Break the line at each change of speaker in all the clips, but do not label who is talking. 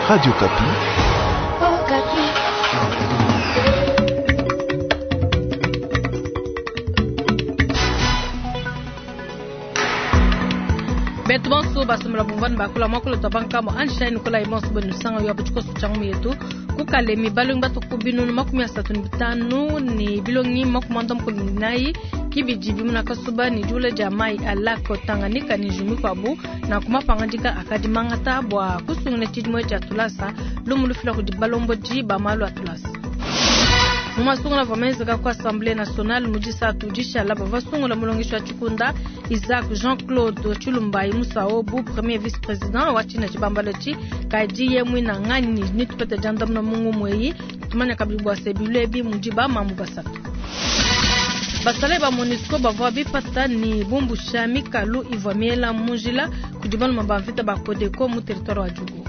Radio Okapi.
Betu bonso basomela bumvani bakula mwakolo twa bankamo Einstein Nikolai bonso benu sanga yo butshikoso tshangu yetu kukalemi balongi batuku binunu 35 ni bilongi 94 kibidi bimuna kasuba ni diula dia mai a lac Tanganyika ni jumi kwabu na kumapangandika akadi mangata bua kusungula tshidimue tshia tulasa lumu lufila kudi balombodi ba malu a tulasa. Mu masungula avua menzeka ku Assemblée nationale mu disatu dishala bavua basungula mulongeshi wa tshikunda Isaac Jean-Claude Tshilumbayi Musao bu premier vice-président wa tshina tshibambalo tshi kadi ye muina nganyi ni tupete diandamuna mu ngumu eyi tumanya kabidi bua se bilu ebi mudi ba mamu basatu. Basalayi ba MONUSCO bavua bipata ni bumbusha mikalu ivua miela mu njila kudi baluma ba mvita ba CODECO mu territoire wa Djugu.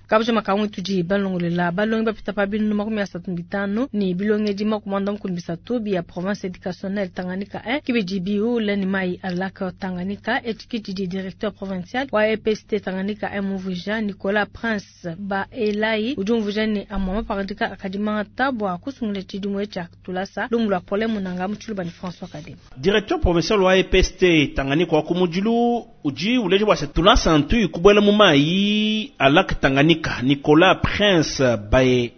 Kabuja makangu tudi balongolela balongi bapita pa binunu 35 ni bilongedi 93 bia province éducationnelle Tanganyika 1 kibidi biula ni mai a lac Tanganyika etikiti di directeur provincial wa EPST Tanganyika 1 Mvuja Nicolas Prince ba Elai udi umvuja ni amwa mapangadika akadimanga tabwa kusungula tshidimue tshia tulasa lumu lua Paulin Munanga mu tshiluba ni François Kadima.
Directeur provincial wa EPST Tanganyika wa kumudilu udi uleja bua se tulasa ntu kubuela mu mai a lac Tanganyika Nicolas Prince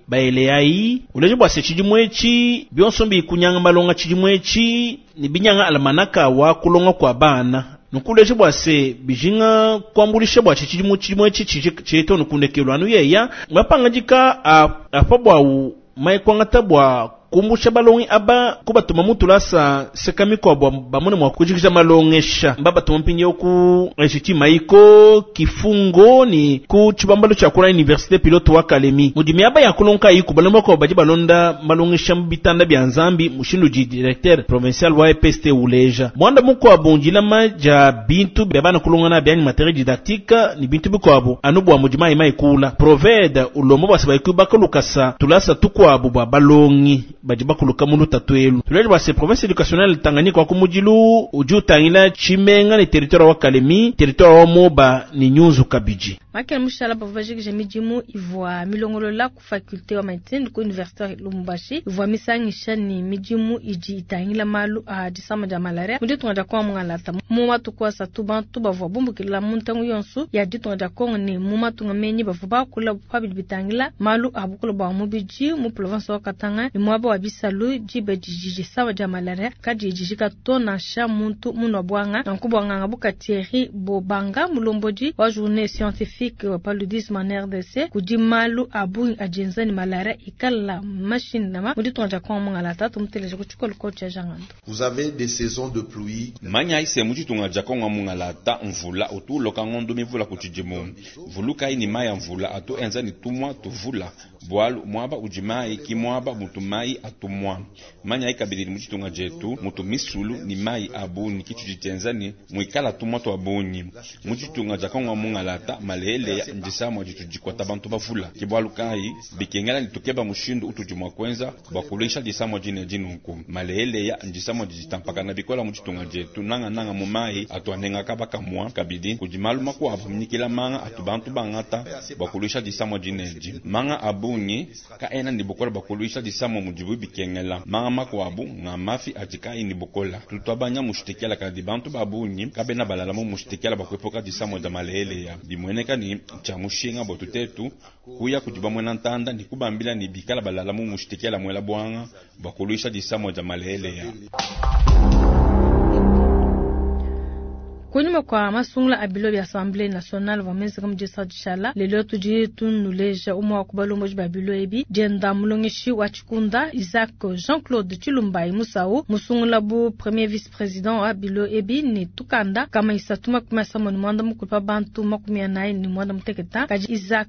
Baeleai uleja bua se tshidimue tshi bionso mbi kunyanga malonga tshidimue tshi ni binyanga almanaka wa kulonga kwa bana. Nukuleja bua se bijinga kuambulisha bua tshidimue tshidimue tshi tshieto nukundekelo anu yeya mapangandika apa bua mai kuangata bua kumbusha balongi aba kubatuma mutulasa sekamiko bua bamone mwa kujikija malongesha mba batuma mpindieu ku institut Maiko kifungo ni ku tshibambalo tshia kula université pilote wa Kalemi mudi miaba ya kulonka yiku balomba ko badi balonda malongesha mu bitanda bia Nzambi mushindu di directeur provincial wa EPST uleja mwanda mukwabo ndilama dia bintu bia bana kulongana bia ni matériel didactique ni bintu bikwabo anu bua mudi mai mai kula proved ulombo bua se bakalukasa tulasa tukwabo bua balongi badi bakuluka mu lutatu elu. Tuleje bua se province éducationnelle Tanganyika wa kumudilu udi utangila tshimenga ni territoire wa Kalemi, territoire wa Moba ni Nyunzu kabidi.
Makele mushala bavua bajikija midimu ivua milongolola ku faculté wa médecine ku université Lubumbashi ivua misangisha ni midimu idi itangila malu a disama dia malaria mu ditunga dia Kongo mungalata. Mu matuku asatu bantu bavua bumbukila mu ntangu yonso ya ditunga dia Kongo ni mu matunga menyi bavua bakula pa bidi bitangila malu a bukulu bua mubidi mu province wa Katanga ni muaba wa bisalu diba didi disama dia malaria kadi dijika to nansha muntu munua bwanga nanku bwanganga buka Thierry Bobanga mulombodi wa journée scientifique paludisme en RDC kudi malu a bungi adienza ni malaria ikala machine nama mu ditunga dia Kongo mungalata tumuteleje ku tshikolo ko tshia Jangando.
Vous avez des saisons de pluie.
Manya ise mu ditunga dia Kongo mungalata mvula utuloka ngondo mivula ku tshidimu. Vuluka ini maya mvula atu enza ni tumwa tuvula. Bwalu mwaba udi mai ki mwaba mutu mai atumwa. Manya ikabidi mu ditunga dietu mutu misulu ni mai abunyi kitu ditenza ni muikala tumwa twa bunyi. Mu ditunga dia Kongo mungalata malele ya ndisamwa ditu dikwata bantu bavula. Ki bwalu kai bikengela ni tukeba mushindu utudi mwa kwenza bwa kulisha disamwa dine dinunku. Malele ya ndisamwa ditampakana bikola mu ditunga dietu nanga nanga mu mai atuanenga kabaka mwa kabidi kudi malu makuabu mnyikila manga atu bantu bangata bwa kulisha disamwa dine di. Manga abunyi ka ena ni bukola bwa kulisha disamwa mudibu bikengela. Manga makuabu nga mafi atika ini bukola. Tutwabanya mushitikela kadi bantu babunyi kabena balala mu mushitikela bwa kuepuka disamwa dia malele ya. Bimweneka ni tshia mushinga bwa tutetu kuya kudi bamwena ntanda ni kubambila ni bikala balala mu mushitikela mwela bwanga bwa kulisha disamwa dia malele ya.
Kunyuma kwa masungula a bilo bia Assemblée nationale wa menzeka mu disa dishala lelo tudi tunuleja umwe wa kubalomboji ba bilo ebi dienda mulongeshi wa tshikunda Isaac Jean-Claude Tshilumbayi Musau musungula bu premier vice-président wa bilo ebi ni tukanda kama isatu 89 mukulu pa bantu 48 muteketa kadi Isaac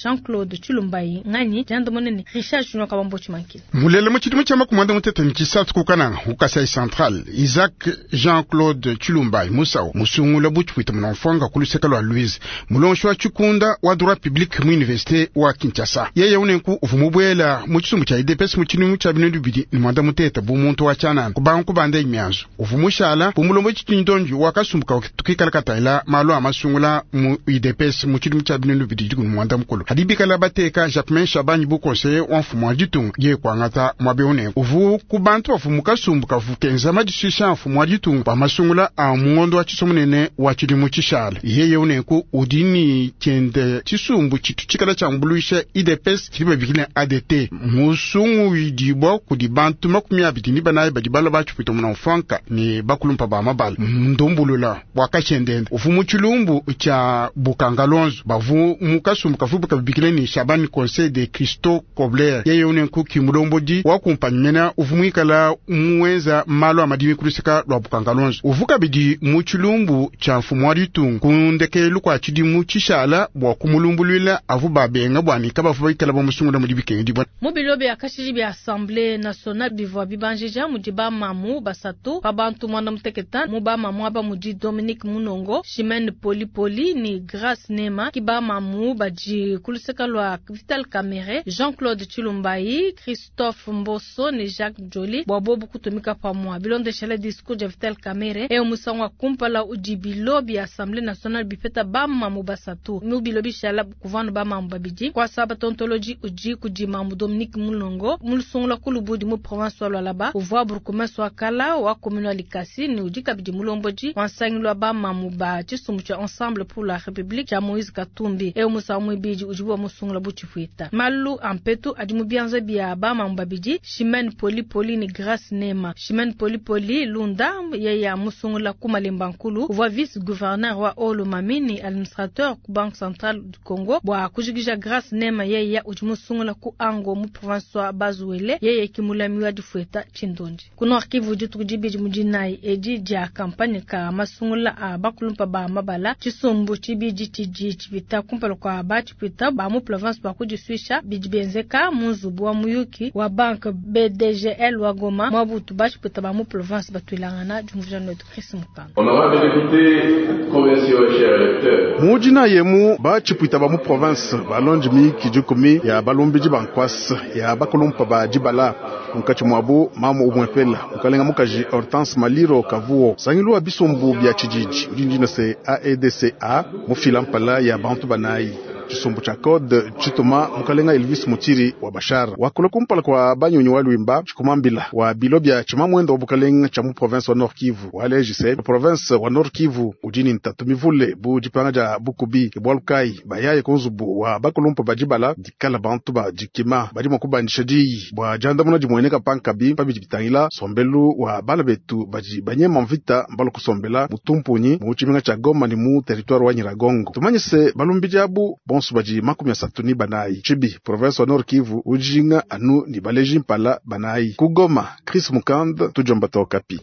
Jean-Claude Tshilumbayi ngani dienda monene Richard Junior Kabambo Tshimankila.
Mulele mu tshidimu tshia 36 kukananga ku Kasai Central Isaac Jean-Claude Tshilumbayi Musau.
Musungula bu tshipwita munamfwanga ku luseke lwa Louise mulongeshi wa tshikunda wa droit public mu université wa Kinshasa. Yeye unenku uvu mubwela mu tshisumbu tshia UDPS mu tshidimu tshia 2023 bu muntu wa tshianana kubanga kubanda mianzu uvu mushala bu mulombo tshitindonji wa kasumbu ka tukikala katayila malu a masungula mu UDPS mu tshidimu tshia 2023 hadi bikala bateka Jacquemain Shabani bu conseiller wa mfumu wa ditunga ye kuangata mwabe unenku uvu ku bantu bavu mu kasumbu kavu kenza madishisha mfumu wa ditunga pa masungula a mungondo wa tshisomunene wa tshidimu tshishala. Yeye unenku udi ni tshiende tshisumbu tshitu tshikala tshia mbuluisha UDPS tshidi babikila ADT musungu widibwa kudi bantu 24 badi bala batshipwita munamfwanka ni bakulumpa ba mabala ndumbulula wakachendende uvu mu tshilumbu tshia Bukangalonzo bavu mu kasumbu kavu kabibikile ni Shabani Conseil de Christo Kobler. Yeye unenku kimulombodi wa kumpanyimena uvu mwikala muwenza malu amadimi kuluseka lwa Bukangalonzo uvu kabidi mu tshilumbu tshia mfumu wa ditunga kundekelu kwa tshidimu tshishala bwa kumulumbulwila avu babenga bwa nika bavu baikala bamusungula mudi bikengedi bwa
mu bilo bya kashiji bya Assemblée nationale bivwa bibanjija mudi bamamu basatu pa bantu mwana muteketa mu bamamu aba mudi Dominique Munongo, Chimène Poli Poli ni Grace Nema ki bamamu badi kuluseka lwa Vital Kamerhe, Jean-Claude Tshilumbayi, Christophe Mboso ni Jacques Joly bwa bobu kutumika pamwa bilondeshela discours ya Vital Kamerhe e musango kumpala udi bilo bya Assemblée nationale bipeta bamamu basatu mu bilo bishala kuvanu bamamu babidi kwa saba tontologie udi kudi mamu Dominique Munongo mulusungula kulubudi mu province wa Lualaba uvwa burkumesi wa kala wa commune wa Likasi ni udi kabidi mulomboji wansangilwa bamamu ba tshisumbu tshia Ensemble pour la République tshia Moïse Katumbi e musango mwibidi udi bwa musungula butshipwita malu ampetu adi mu bianza bia bamamu babidi Chimène Poli Poli ni Grace Nema. Chimène Poli Poli Lunda yeye musungula kumalemba nkulu uvwa vice gouverneur wa Olomami ni administrateur ku Banque Centrale du Congo bwa kujikija Grace Nema yeye udi musungula ku Ango mu province wa Bazuele yeye kimulami wa difueta Tshindonji. Kuno arkivu dituku dibidi mudinayi edi dia kampanye ka masungula a bakulumpa ba mabala tshisumbu tshibidi tshidi tshipita kumpala kwa batshipita ba mu province ba kudisuisha bidi benzeka mu nzubu wa muyuki wa banque BDGL wa Goma mwabutu batshipita ba mu province batuilangana diumvuja notu Chris Mukanga.
Honorable député, provinciaux et chers électeurs.
Mujina yemu batshipita ba mu province balonji miyiki dikumi ya balumbiji ba nkwasa ya bakulumpa ba dibala munkatshi mwabu mamu umwepela mukalenga mukaji Hortense Maliro Kavuo sangilu wa bisumbu bya tshijiji udi ndina se AEDCA mufila mpala ya bantu banayi tshisumbu tshia code tshituma mukalenga Elvis Mutiri wa Bashara wakula kumpala kwa banyonyi wa Lwimba tshikumambila wa bilo bya tshimamwendo wa bukalenga tshia mu province wa Nord Kivu walejise province wa Nord Kivu udi ntatu mivule bu dipanga dia bukubi bwalukai bayaye kunzubu wa bakulumpa badibala dikala bantu ba dikima badi mua kubandisha diyi bua diandamuna dimueneka pankabi pabidi bitangila sombelu wa bala betu badi banyema mvita mbalo kusombela mutumpunyi mu tshimenga tshia Goma ni mu territoire wa Nyiragongo tumanyise balumbiji abu bonso baji 34 chibi province wa Nord Kivu ujinga anu ni baleji mpala banayi kugoma Chris Mukand tujomba tokapi.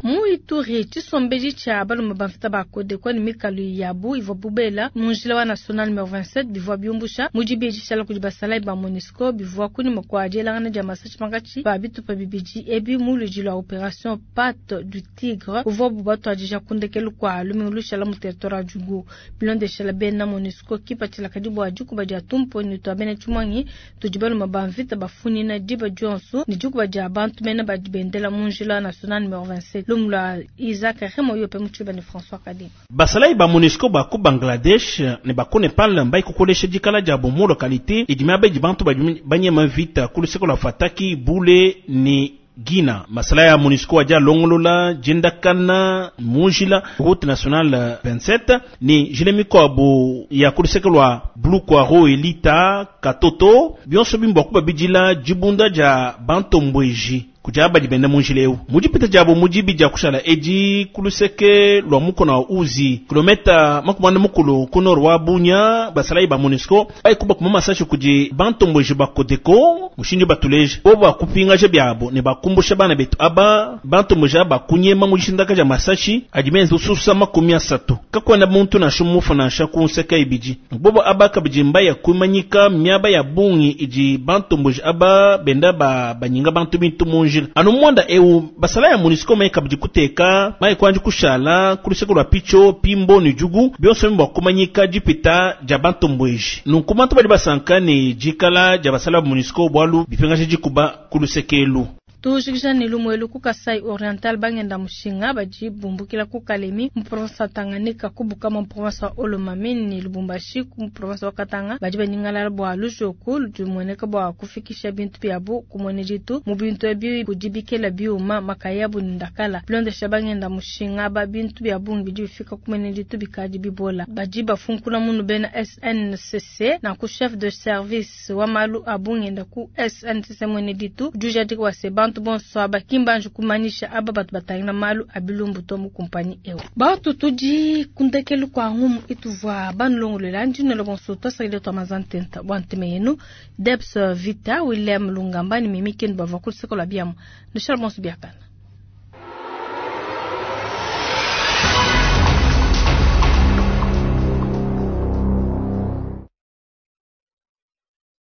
Mu Ituri tshisombeji tshia balume bamvita bakodekwa ni mikalu yabu ivua bubela mu njila wa national numero 27 bivua biumbusha mudibi tshishala kudi basalayi ba MONUSCO bivua kunyima kua dielangana dia masashi pankatshi pa bitupa bibidi ebi mu luidi lua opération Patte du Tigre uvua bubatuadija kundekelu kua lumingu lushala mu territoire wa Djugu bilondeshala bena MONUSCO kipatshila kadi bua dikuba dia tumponyi tua bena tshimuangi tudi balume bamvita bafunina diba dionso ni dikuba dia bantu mena badi bendela mu njila wa national numero 27 lumla Isaac Remo yope muchiba ni François Kadima.
Basalayi ba MONUSCO ba ku Bangladesh ne ba ku Nepal mbai kukolesha dikala dia bo mu localité idi miaba idi bantu badi banyema mvita ku luseke lua Fataki Bule ni Gina. Masala ya MONUSCO adia longolola jendakana munjila route nationale 27 ni jile mikoabo ya ku luseke lua Blue Kwaro Elita Katoto bionso bimbo kuba bidila dibunda dia bantombweji kuja badi benda munjila eu mudipita diabo mudibi dia kushala edi kuluseke lua mukona wa uzi kilometa 40 ku nord wa Bunya basalayi ba MONUSCO baikuba kuma masashi kudi bantombweji ba Kodeko mushindi batuleje bo bakupingaje byabo ne bakumbusha bana betu aba bantombweji aba kunyema mudishindaka dia masashi adi menza ususa 30 kakwenda muntu nansha mufu nansha kunseka ibidi bobo aba kabidi mbaya kumanyika miaba ya bungi idi bantombweji aba benda ba banyinga bantu bintu munjila munjila. Anu mwanda eu basala ya MONUSCO mai kabidi kuteka mai kwanji kushala kuluseke lwa picho pimbo ni jugu bionso bwa kumanyika dipita dia bantombweji. Nunku bantu badi basanka ne dikala dia basala ba MONUSCO bwalu bipengasha dikuba kulusekelu.
Tujikija ne lumuelu ku Kasai Oriental bangenda mushinga badi bumbukila ku Kalemi mu province wa Tanganyika ku Bukama mu province wa Haut-Lomami ne Lubumbashi ku province wa Katanga badi banyingalala bua lujoku ludi lumueneka bua kufikisha bintu biabu ku muene ditu mu bintu ebi kudi bikela biuma makayabu ne ndakala bilondesha bangenda mushinga ba bintu bia bungi bidi bifika ku muene ditu bikadi bibola badi bafunkuna munu bena SNCC na ku chef de service wa malu a bungenda ku SNCC muene ditu udi ujadika wa se bantu bonso aba kimbanji kumanyisha aba batu batangila malu a bilumbu to mu kumpanyi eu. Bantu tudi kundekelu kwa ngumu ituvua banulongolola ndinelo bonso twasakile twa mazantenta bwa nteme yenu Debs Vita William Lungamba ni Mimi Ken bavua ku luseke lua biamu ndishala bonso biakana.